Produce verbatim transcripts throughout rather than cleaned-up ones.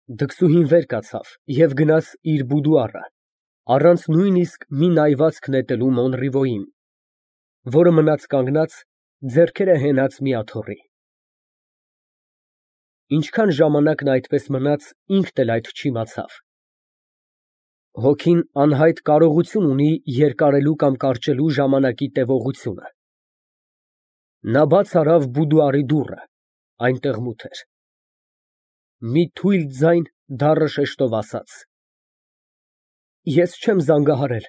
Դքսուհին վեր կացավ և գնաց իր բուդուարը, առանց նույնիսկ մի նայվածք նետելու Մոնրիվոյին, որը մնաց կանգնած, ձեռքերը հենած մի աթոռի։ Ինչքան ժամանակ նա այդպես մնաց, ինքն էլ այդ չիմացավ։ Հոգին անհայտ կարողություն ունի երկարելու կամ կարճելու ժամանակի տևողությունը։ Նա բաց արավ բուդուարի դուռը, այնտեղ մութ էր։ Մի թույլ ձայն դառը շեշտով ասաց. Ես չեմ զանգահարել,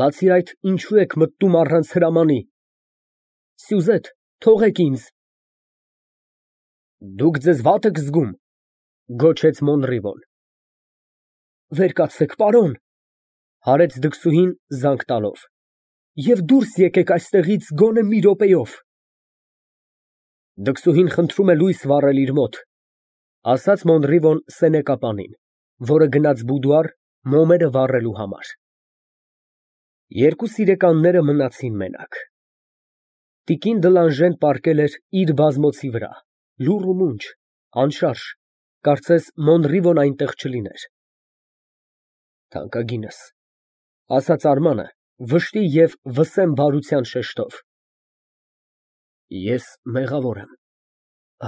բացի այդ, ինչո՞ւ եք մտնում առանց հրամանի։ Սյուզետ, թողեք ինձ։ Դուք ձեզ վատ եք զգում, գոչեց Մոնրիվոն։ Վեր կացեք, պարոն, հարեց դքսուհին զանգ տալով, և դուրս եկեք այստեղից գոնե մի րոպեով։ Դքսուհին խնդրում է լույս վառել իր մոտ, ասաց Մոնրիվոն սենեկապանին, որը գնաց բուդուար մոմերը վառելու համար։ Երկու սիրեկանները մնացին մենակ։ Տիկին Դլանժեն պառկել էր իր բազմոցի վրա, լուռ ու մունջ, անշարժ, կարծես Մոնրիվոն այնտեղ չլիներ։ Թանկագինս, ասաց Արմանը վշտի և վսեմ բարության շեշտով, ես մեղավոր եմ,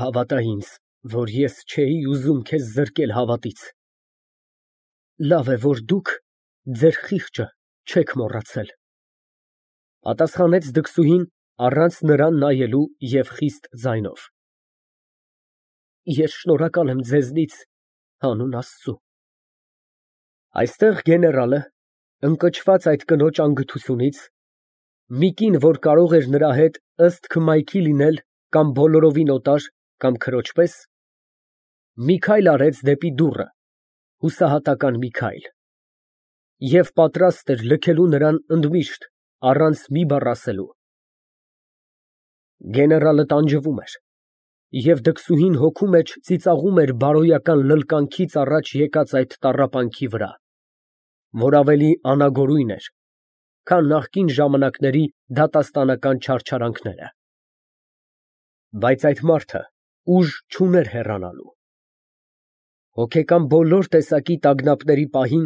հավատա ինձ, որ ես չէի ուզում քեզ զրկել հավատից։ Լավ է, որ դուք ձեր խիղճը չեք մոռացել, պատասխանեց դքսուհին առանց նրան նայելու և խիստ ձայնով։ Ես շնորհակալ եմ ձեզնից հանուն Աստծու։ Այստեղ գեներալը, ընկճված այդ կնոջ անգթությունից, մի կին, որ կարող էր նրա հետ ըստ քմայքի լինել կամ բոլորովին օտար, կամ քրոջ պես, մի քայլ արեց դեպի դուռը, հուսահատական մի քայլ, և պատրաստ էր լքելու նրան ընդմիշտ, առանց մի բառ ասելու։ Գեներալը տանջվում էր, և դքսուհին հոգու մեջ ծիծաղում էր բարոյական լլկանքից առաջ եկած այդ տառապանքի վրա, որ ավելի անագորույն էր, քան նախկին ժամանակների դատաստանական չարչարանքները։ Բայց այդ մարդը ուժ չուներ հեռանալու։ Հոգեկան բոլոր տեսակի տագնապների պահին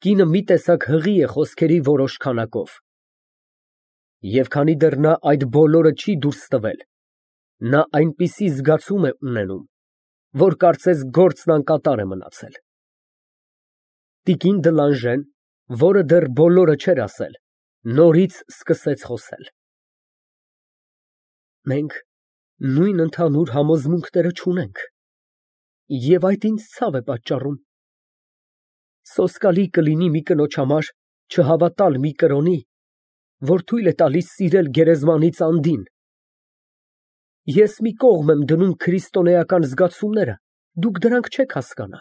կինը մի տեսակ հղի է խոսքերի որոշ քանակով։ Եվ քանի դեռ նա այդ բոլորը չի դուրս տվել, նա այնպիսի զգացում է ունենում, որ կարծես գործն անկատար է մնացել։ Տիկին Դլանժեն, որը դեռ բոլորը չէր ասել, նորից սկսեց խոսել. Մենք նույն ընդհանուր համոզմունքները չունենք, և այդ ինձ ցավ է պատճառում։ Սոսկալի կլինի մի կնոջ համար չհավատալ մի կրոնի, որ թույլ է տալիս սիրել գերեզմանից անդին։ Ես մի կողմ եմ դնում քրիստոնեական զգացումները, դուք դրանք չեք հասկանա։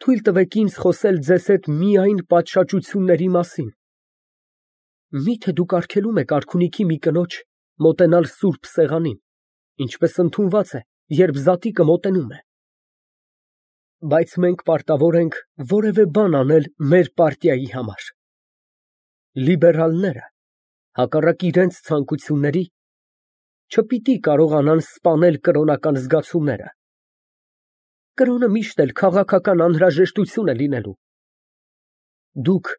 Թույլ տվեք ինձ խոսել ձեզ հետ միայն պատշաճությունների մասին։ Մի՞թե դուք արգելում եք արքունիքի մի կնոջ մոտենալ սուրբ սեղանին, ինչպես ընդունված է, երբ զատիկը մոտենում է։ Բայց մենք պարտավոր ենք որևէ բան անել մեր պարտիայի համար։ Լիբերալները, հակառակ իրենց ցանկությունների, չպիտի կարողանան սպանել կրոնական զգացումները։ Կրոնը միշտ էլ քաղաքական անհրաժեշտություն է լինելու։ Դուք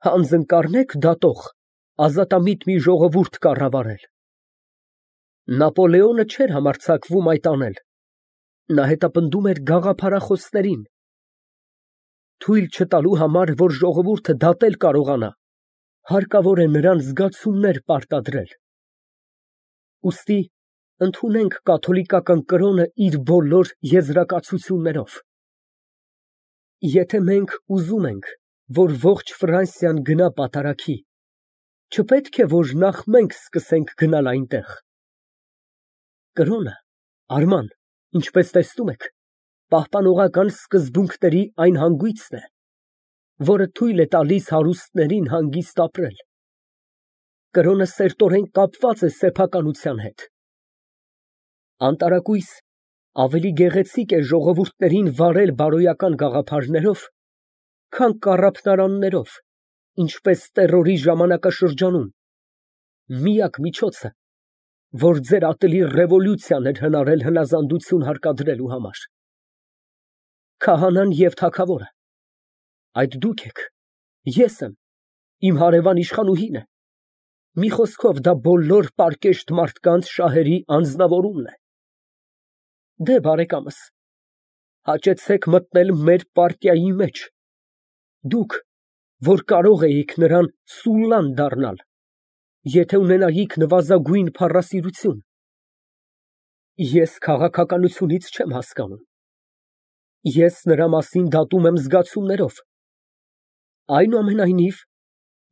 հանձն կառնե՞ք դատող ազատամիտ մի ժողովուրդ կառավարել։ Նապոլեոնը չէր համարձակվում այդ անել, նա հետապնդում էր գաղափարախոսներին։ Թույլ չտալու համար, որ ժողովուրդը դատել կարողանա, հարկավոր է նրան զգացումներ պարտադրել։ Ուստի ընդունենք կաթոլիկական կրոնը իր բոլոր եզրակացություններով։ Եթե մենք ուզում ենք, որ ողջ Ֆրանսիան գնա պատարագի, չպետք է, որ նախ մենք սկսենք գնալ այնտեղ։ Կրոնը, Արման, ինչպես տեսնում եք, պահպանողական սկզբունքների այն հանգույցն է, որը թույլ է տալիս հարուստներին հանգիստ ապրել։ Կրոնը սերտորեն կապված է սեփականության հետ։ Անտարակույս ավելի գեղեցիկ է ժողովուրդներին վարել բարոյական գաղափարներով, քան կառափնարաններով, ինչպես տերորի ժամանակաշրջանում, միակ միջոցը, որ ձեր ատելի ռևոլյուցիան էր հնարել հնազանդություն հարկադրելու համար։ Քահանան և թագավորը։ Այդ դուք եք, ես եմ, իմ հարևան իշխանուհին է։ Մի խոսքով, դա բոլոր պարկեշտ մարդկանց շահերի անձնավորումն է։ Դե, բարեկամս, հաճեցեք մտնել մեր պարտիայի մեջ, դուք, որ կարող էիք նրան սուլլան դառնալ, եթե ունենայիք նվազագույն փառասիրություն։ Ես քաղաքականությունից չեմ հասկանում։ Ես նրա մասին դատում եմ զգացումներով։ Այնուամենայնիվ,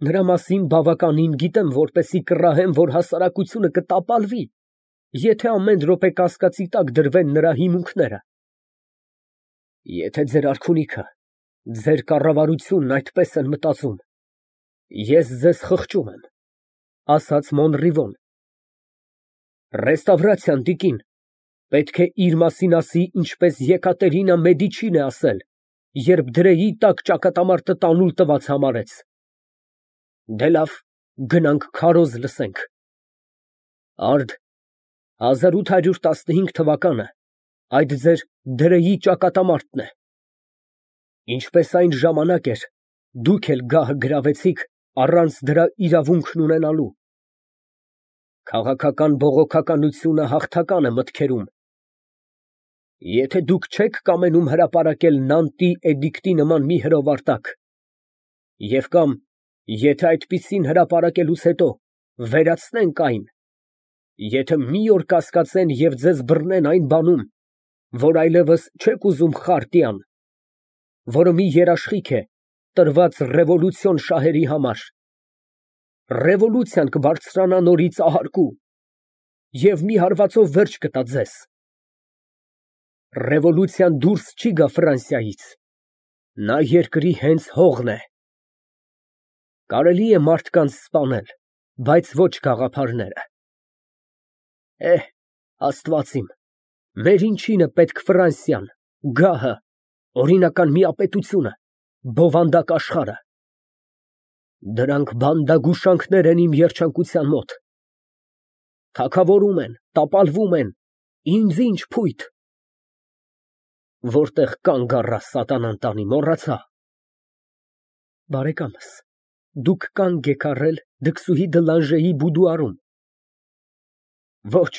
նրա մասին բավականին գիտեմ, որպեսզի կռահեմ, որ հասարակությունը կտապալվի, եթե ամեն րոպե կասկածի տակ դրվեն նրա հիմունքները։ Եթե ձեր արքունիքը, ձեր կառավարությունն այդպես են մտածում, ես ձեզ խղճում եմ, ասաց Մոնրիվոն։ Ռեստավրացիան, տիկին, պետք է իր մասին ասի, ինչպես Եկատերինա Մեդիչին է ասել, երբ դրեի տակ ճակատամարտը տանուլ տված համարեց։ Դե լավ, գնանք քարոզ լսենք։ Արդ, հազար ութ հարյուր տասնհինգ թվականը, այդ ձեր դրեի ճակատամարտն է։ Ինչպես այն ժամանակ էր, դուք էլ գահը գրավեցիք առանց դրա իրավունքն ունենալու։ Քաղաքական բողոքականությունը հաղթական է մտքերում։ Եթե դուք չեք կամենում հրապարակել Նանտի էդիկտի նման մի հրովարտակ, և կամ եթե այդպիսին հրապարակելուց հետո վերացնենք այն, եթե մի օր կասկածեն և ձեզ բռնեն այն բանում, որ այլևս չեք ուզում խարտիան, որը մի երաշխիք է տրված ռևոլյուցիոն շահերի համար, ռևոլյուցիան կբարձրանա նորից ահարկու և մի հարվածով վերջ կտա ձեզ։ Ռևոլյուցիան դուրս չի գա Ֆրանսիայից, նա երկրի հենց հողն է։ Կարելի է մարդկանց սպանել, բայց ոչ գաղափարները։ Էհ, Աստված իմ, մեր ինչին է պետք Ֆրանսիան, գահը, օրինական միապետությունը, բովանդակ աշխարհը։ Դրանք բանդագուշանքներ են իմ երջանկության մոտ։ Թագավորում են, տապալվում են, ինձ ինչ փույթ։ Որտեղ կանգ առա սատանան տանի, մոռացա։ Բարեկամս, դուք կանգ եք առել դքսուհի Դլանժեի բուդուարում։ Ոչ,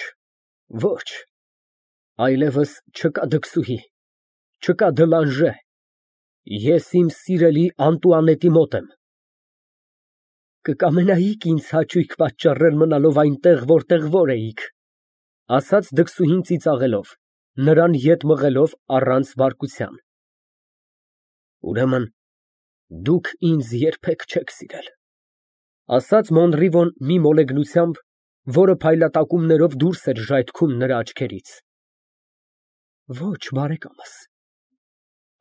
ոչ, այլևս չկա դքսուհի, չկա Դլանժե, ես իմ սիրելի Անտուանետի մոտ եմ։ Կկամենայիք ինձ հաճույք պատճառել մնալով այնտեղ, որտեղ որ էիք, ասաց դքսուհին ծիծաղելով, նրան ետ մղելով առանց բարկության։ Ուրեմն դուք ինձ երբեք չեք սիրել, ասաց Մոնրիվոն մի մոլեգնությամբ, որը փայլատակումներով դուրս էր ժայթքում նրա աչքերից։ Ոչ, բարեկամս։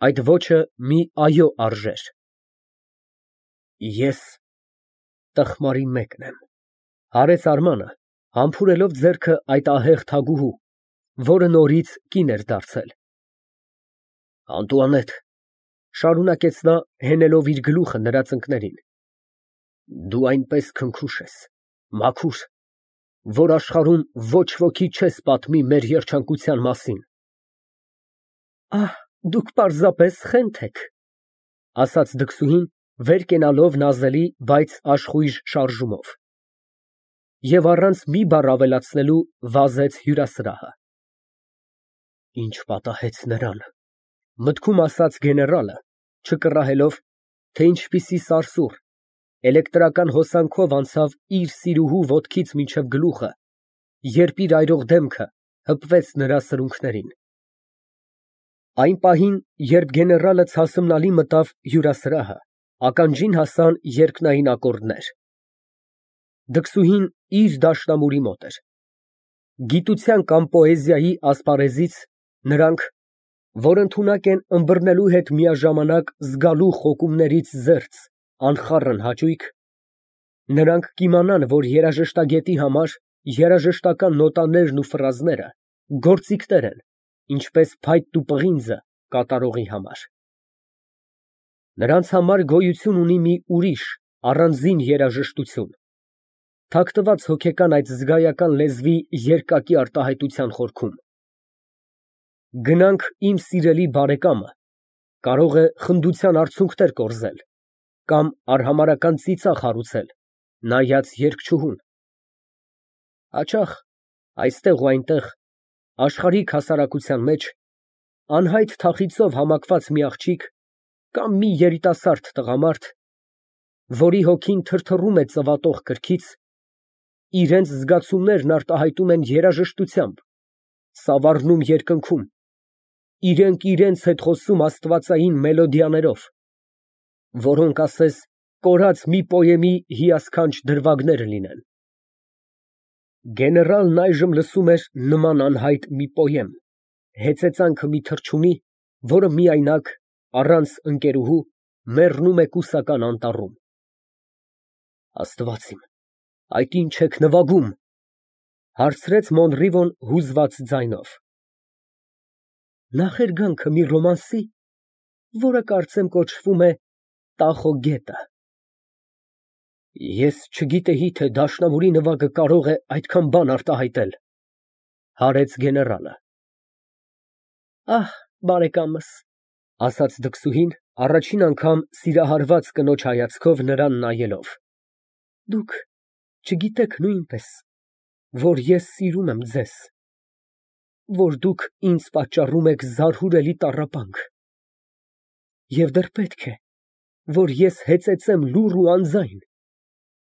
Այդ ոչը մի այո արժեր։ Ես տխմարի մեկն եմ, հարեց Արմանը, համբուրելով ձեռքը այդ ահեղ թագուհու, որը նորից կին էր դարձել։ Անտուանետ, շարունակեց նա, հենելով իր գլուխը նրա ծնկներին, դու այնպես քնքուշ ես, մաքուր, որ աշխարհում ոչ ոքի չես պատմի մեր երջանկության մասին։ Ահ, դուք պարզապես խենթ եք, ասաց դքսուհին, վեր կենալով նազելի, բայց աշխույժ շարժումով։ Եվ առանց մի բառ ավելացնելու վազեց հյուրասրահը։ Ինչ պատահեց նրան, մտքում ասաց գեներալը, չկռահելով, թե ինչպիսի սարսուռ, էլեկտրական հոսանքով անցավ իր սիրուհու ոտքից մինչև գլուխը, երբ իր այրող դեմքը հպվեց նրա սրունքներին։ Այն պահին, երբ գեներալը ցասմնալի մտավ հյուրասրահը, ականջին հասան երկնային ակորդներ։ Դքսուհին իր դաշնամուրի մոտ էր։ Գիտության կամ պոեզիայի ասպարեզից նրանք, որ ընդունակ են ըմբռնելու հետ միաժամանակ զգալու խոկումներից զերծ անխառն հաճույք, նրանք կիմանան, որ երաժշտագետի համար երաժշտական նոտաներն ու ֆրազները գործիքներ են, ինչպես փայտն ու պղինձը կատարողի համար։ Նրանց համար գոյություն ունի մի ուրիշ, առանձին երաժշտություն, թաքնված հոգեկան այդ զգայական լեզվի երկակի արտահայտության խորքում։ Գնանք իմ սիրելի բարեկամը կարող է խնդության արցունքներ կորզել կամ արհամարհական ծիծաղ հարուցել, նայած երգչուհուն։ Հաճախ այստեղ ու այնտեղ աշխարհիկ հասարակության մեջ անհայտ թախիծով համակված մի աղջիկ կամ մի երիտասարդ տղամարդ, որի հոգին թրթռում է ծվատող կրքից, իրենց զգացումներն արտահայտում են երաժշտությամբ, սավառնում երկնքում, իրենք իրենց հետ խոսում աստվածային մելոդիաներով, որոնք ասես կորած մի պոեմի հիասքանչ դրվագները լինեն։ Գեներալն այժմ լսում էր նման անհայտ մի պոեմ, հեծեծանքը մի թռչունի, որը միայնակ, առանց ընկերուհու, մեռնում է կուսական անտառում։ Աստված իմ, այդ ի՞նչ եք նվագում, հարցրեց Մոնրիվոն հուզված ձայնով։ Նախերգանքը մի ռոմանսի, որը կարծեմ կոչվում է Տախո գետը։ Ես չգիտեի, թե դաշնամուրի նվագը կարող է այդքան բան արտահայտել, հարեց գեներալը։ Ահ, բարեկամս, ասաց դքսուհին, առաջին անգամ սիրահարված կնոջ հայացքով նրան նայելով, դուք չգիտեք նույնպես, որ ես սիրում եմ ձեզ, որ դուք ինձ պատճառում եք զարհուրելի տառապանք, և դեռ պետք է, որ ես հեծեծեմ լուռ ու անձայն,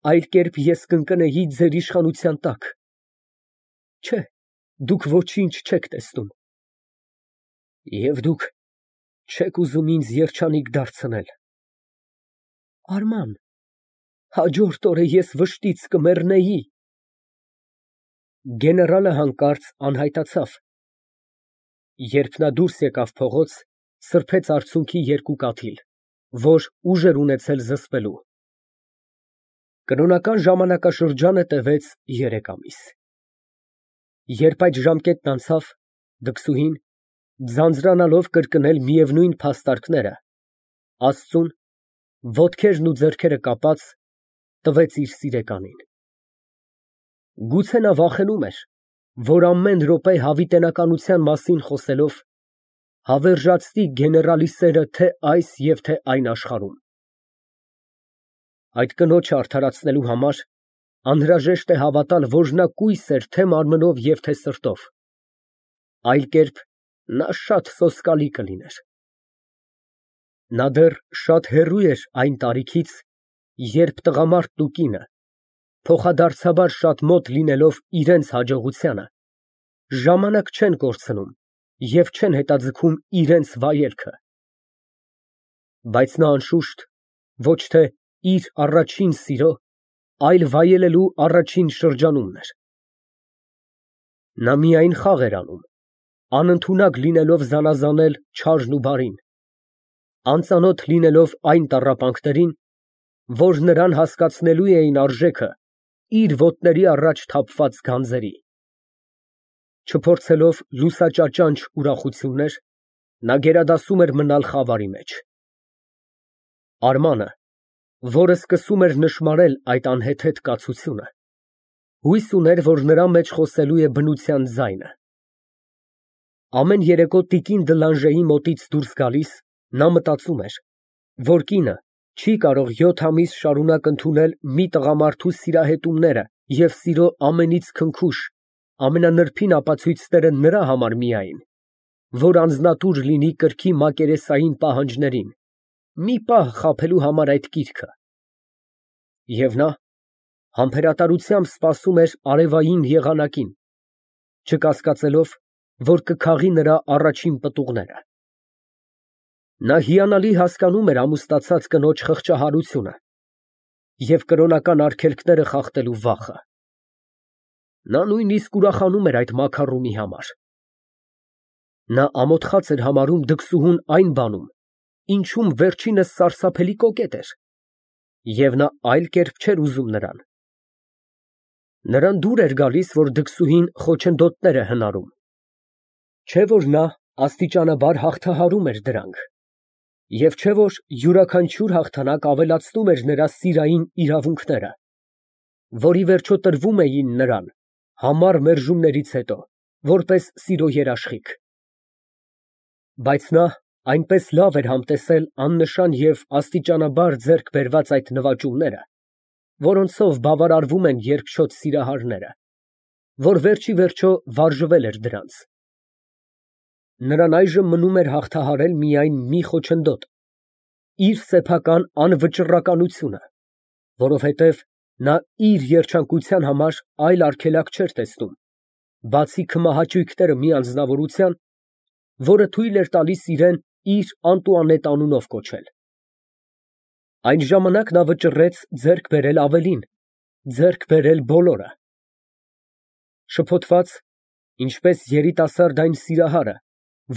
այլ կերպ ես կընկնեի ձեր իշխանության տակ։ Չէ, դուք ոչինչ չեք տեսնում։ Եվ դուք չեք ուզում ինձ երջանիկ դարձնել։ Արման, հաջորդ օրը ես վշտից կմեռնեի։ Գեներալը հանկարծ անհայտացավ։ Երբ նա դուրս եկավ փողոց, սրբեց արցունքի երկու կաթիլ, որ ուժ էր ունեցել զսպելու։ Կրոնական ժամանակաշրջանը տևեց երեք ամիս։ Երբ այդ ժամկետն անցավ, դքսուհին, ձանձրանալով կրկնել միևնույն փաստարկները, Աստծուն, ոտքերն ու ձեռքերը կապած, տվեց իր սիրեկանին։ Գուցե նա վախենում էր, որ ամեն րոպե հավիտենականության մասին խոսելով հավերժացնի գեներալի սերը թե այս և թե այն աշխարհում։ Այդ կնոջը արդարացնելու համար անհրաժեշտ է հավատալ, որ նա կույս էր թե մարմնով և թե սրտով, այլ կերպ նա շատ սոսկալի կլիներ։ Նա դեռ շատ հեռու էր այն տարիքից, երբ տղամարդն ու կինը, փոխադարձաբար շատ մոտ լինելով իրենց հաջողությանը, ժամանակ չեն կորցնում և չեն հետաձգում իրենց վայելքը։ Բայց նա անշուշտ ոչ թե իր առաջին սիրո, այլ վայելելու առաջին շրջանումն էր։ Նա միայն խաղ էր անում, անընդունակ լինելով զանազանել չարն ու բարին, անծանոթ լինելով այն տառապանքներին, որ նրան հասկացնելու էին արժեքը իր ոտների առաջ թափված գանձերի։ Չփորձելով լուսաճաճանչ ուրախություններ, նա գերադասում էր մնալ խավարի մեջ։ Արմանը, որը սկսում էր նշմարել այդ անհեթեթ կացությունը, հույս ուներ, որ նրա մեջ խոսելու է բնության ձայնը։ Ամեն երեկո տիկին Դլանժեի մոտից դուրս գալիս, նա մտածում էր, որ կինը չի կարող յոթ ամիս շարունակ ընդունել մի տղամարդու սիրահետումները և սիրո ամենից քնքուշ, ամենանրբին ապացույցները նրա համար միայն, որ անձնատուր լինի կրքի մակերեսային պահանջներին, մի պահ խաբելու համար այդ կիրքը։ Եվ նա համբերատարությամբ սպասում էր արևային եղանակին, չկասկածելով, որ կքաղի նրա առաջին պտուղները։ Նա հիանալի հասկանում էր ամուսնացած կնոջ խղճահարությունը և կրոնական արգելքները խախտելու վախը։ Նա նույնիսկ ուրախանում էր այդ մաքառումի համար։ Նա ամոթխած էր համարում դքսուհուն այն բանում, ինչում վերջինս սարսափելի կոկետ էր, և նա այլ կերպ չէր ուզում նրան։ Նրան դուր էր գալիս, որ դքսուհին խոչընդոտներ է հնարում, չէ՞ որ նա աստիճանաբար հաղթահարում էր դրանք, և չէ՞ որ յուրաքանչյուր հաղթանակ ավելացնում էր նրա սիրային իրավունքները, որ ի վերջո տրվում էին նրան համառ մերժումներից հետո, որպես սիրո երաշխիք։ Բայց նա Այնպես լավ էր համտեսել աննշան և աստիճանաբար ձեռք բերված այդ նվաճումները, որոնցով բավարարվում են երկչոտ սիրահարները, որ վերջիվերջո վարժվել էր դրանց. նրան այժմ մնում էր հաղթահարել միայն մի խոչընդոտ, իր սեփական անվճռականությունը, որովհետև նա իր երջանկության համար այլ արգելակ չէր տեսնում, բացի քմահաճույքները մի անձնավորության, որը թույլ էր տալիս իրան իր Անտուանետ անունով կոչել։ Այն ժամանակ նա վճռեց ձեռք բերել ավելին, ձեռք բերել բոլորը։ Շփոթված, ինչպես երիտասարդ այն սիրահարը,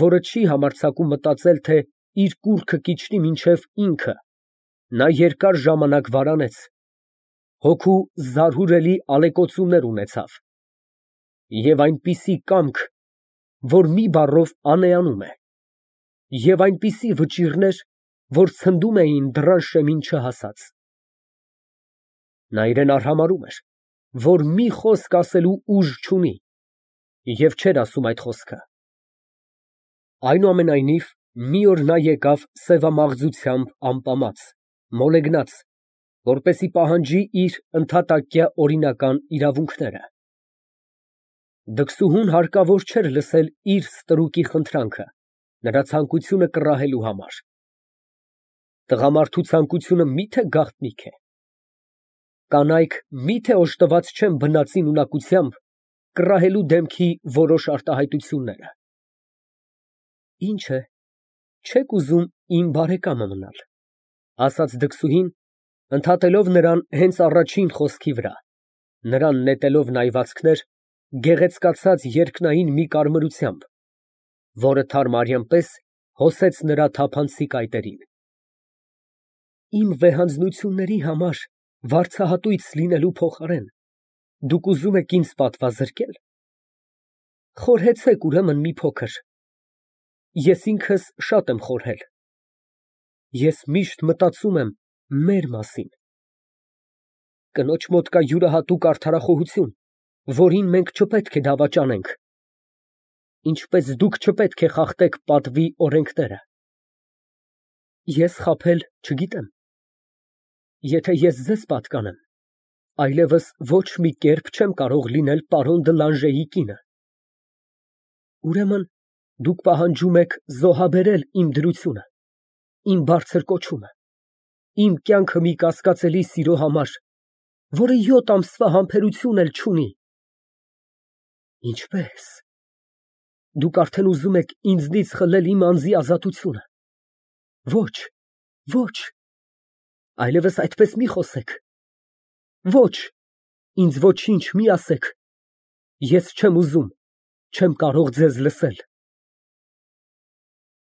որը չի համարձակում մտածել, թե իր կուռքը կիջնի մինչև ինքը, նա երկար ժամանակ վարանեց, հոգու զարհուրելի ալեկոծումներ ունեցավ և այնպիսի կամք, որ մի բառով անեանում է, և այնպիսի վճիռներ, որ ցնդում էին դռան շեմին չհասած։ Նա իրան արհամարհում էր, որ մի խոսք ասելու ուժ չունի, և չէր ասում այդ խոսքը։ Այնուամենայնիվ, մի օր նա եկավ սևամաղձությամբ ամպամած, մոլեգնած, որպեսզի պահանջի իր ընդհատակյա օրինական իրավունքները։ Դքսուհուն հարկավոր չէր լսել իր ստրուկի խնդրանքը, նրա ցանկությունը կռահելու համար։ Տղամարդու ցանկությունը մի՞թե գաղտնիք է։ Կանայք մի՞թե օժտված չեն բնածին ունակությամբ կռահելու դեմքի որոշ արտահայտությունները։ Ի՞նչ է, չե՞ք ուզում իմ բարեկամը մնալ, ասաց դքսուհին, ընդհատելով նրան հենց առաջին խոսքի վրա, նրան նետելով նայվածքներ, գեղեցկացած երկնային մի կարմրությամբ, որը թարմ արյան պես հոսեց նրա թափանցիկ այտերին։ Իմ վեհանձնությունների համար վարձահատույց լինելու փոխարեն դուք ուզում եք ինձ պատվազրկե՞լ։ Խորհեցեք, ուրեմն, մի փոքր, ես ինքս շատ եմ խորհել։ Ես միշտ մտածում եմ մեր մասին։ Կնոջ մոտ կա յուրահատուկ արդարախոհություն, որին մենք չպետք է դավաճանենք, ինչպես դուք չպետք է խախտեք պատվի օրենքները։ Ես խաբել չգիտեմ։ Եթե ես ձեզ պատկանեմ, այլևս ոչ մի կերպ չեմ կարող լինել պարոն դը Լանժեի կինը։ Ուրեմն դուք պահանջում եք զոհաբերել իմ դրությունը, իմ բարձր կոչումը, իմ կյանքը մի կասկածելի սիրո համար, որը յոթ ամսվա համբերություն էլ չունի։ Ինչպե՞ս։ Դուք արդեն ուզում եք ինձնից խլել իմ անձի ազատությունը։ Ոչ, ոչ, այլևս այդպես մի խոսեք։ Ոչ, ինձ ոչինչ մի ասեք։ Ես չեմ ուզում, չեմ կարող ձեզ լսել։